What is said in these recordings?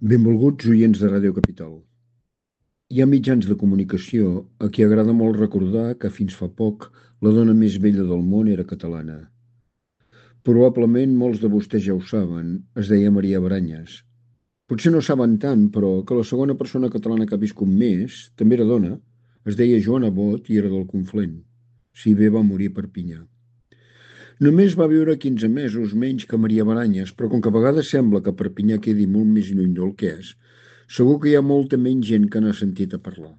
Benvolguts oients de Ràdio Capital. Hi ha mitjans de comunicació a qui agrada molt recordar que fins fa poc la dona més bella del món era catalana. Probablement molts de vostès ja ho saben, es deia Maria Baranyes. Potser no saben tant, però, que la segona persona catalana que ha viscut més, també era dona, es deia Joana Bot i era del Conflent. Si bé va morir a Perpinyà. Només va viure 15 mesos menys que Maria Baranyes, però com que a vegades sembla que Perpinyà quedi molt més lluny del que és, segur que hi ha molta menys gent que n'ha sentit a parlar.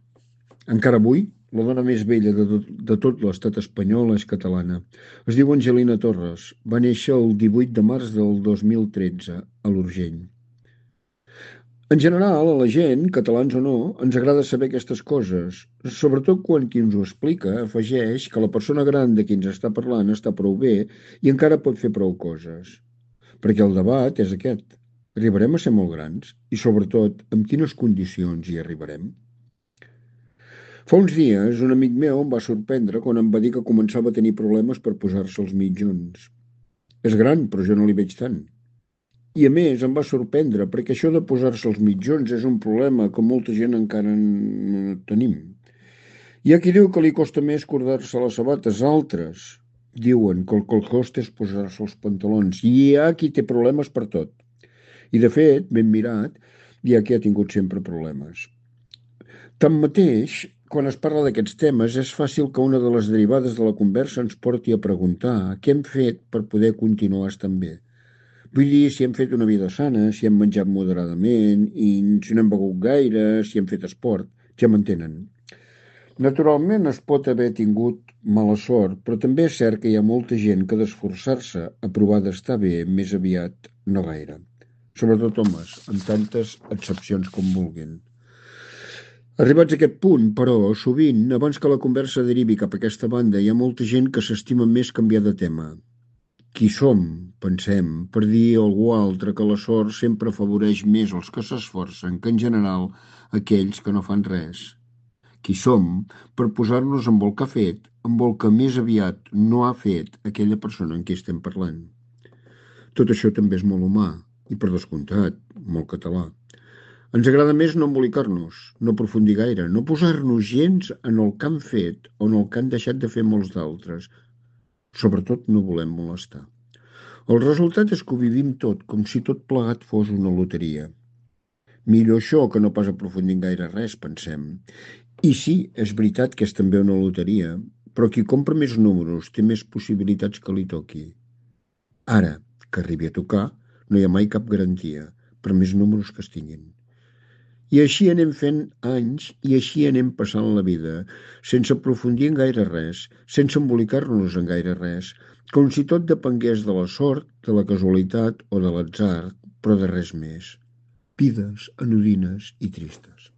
Encara avui, la dona més vella de tot l'estat espanyol és catalana. Es diu Angelina Torres. Va néixer el 18 de març del 2013 a l'Urgell. En general, a la gent, catalans o no, ens agrada saber aquestes coses, sobretot quan qui ens ho explica afegeix que la persona gran de qui ens està parlant està prou bé i encara pot fer prou coses. Perquè el debat és aquest. Arribarem a ser molt grans? I sobretot, amb quines condicions hi arribarem? Fa uns dies, un amic meu em va sorprendre quan em va dir que començava a tenir problemes per posar-se els mitjons. És gran, però jo no li veig tant. I a més em va sorprendre perquè això de posar-se els mitjons és un problema que molta gent encara no tenim. Hi ha qui diu que li costa més cordar-se les sabates, altres diuen que el que costa és posar-se els pantalons. I hi ha qui té problemes per tot. I de fet, ben mirat, hi ha qui ha tingut sempre problemes. Tanmateix, quan es parla d'aquests temes, és fàcil que una de les derivades de la conversa ens porti a preguntar què hem fet per poder continuar estant bé. Vull dir, si hem fet una vida sana, si hem menjat moderadament, i si no hem begut gaire, si hem fet esport, ja m'entenen. Naturalment es pot haver tingut mala sort, però també és cert que hi ha molta gent que d'esforçar-se a provar d'estar bé més aviat no gaire. Sobretot homes, amb tantes excepcions com vulguin. Arribats a aquest punt, però, sovint, abans que la conversa derivi cap a aquesta banda, hi ha molta gent que s'estima més canviar de tema. Qui som, pensem, per dir a algú altre que la sort sempre afavoreix més els que s'esforcen que, en general, aquells que no fan res. Qui som per posar-nos amb el que ha fet, amb el que més aviat no ha fet aquella persona en qui estem parlant. Tot això també és molt humà i, per descomptat, molt català. Ens agrada més no embolicar-nos, no aprofundir gaire, no posar-nos gens en el que han fet o en el que han deixat de fer molts d'altres. Sobretot no volem molestar. El resultat és que ho vivim tot, com si tot plegat fos una loteria. Millor això que no pas aprofundir en gaire res, pensem. I sí, és veritat que és també una loteria, però qui compra més números té més possibilitats que li toqui. Ara, que arribi a tocar, no hi ha mai cap garantia, per més números que es tinguin. I així anem fent anys i així anem passant la vida, sense aprofundir en gaire res, sense embolicar-nos en gaire res, com si tot depengués de la sort, de la casualitat o de l'atzar, però de res més. Vides anodines i tristes.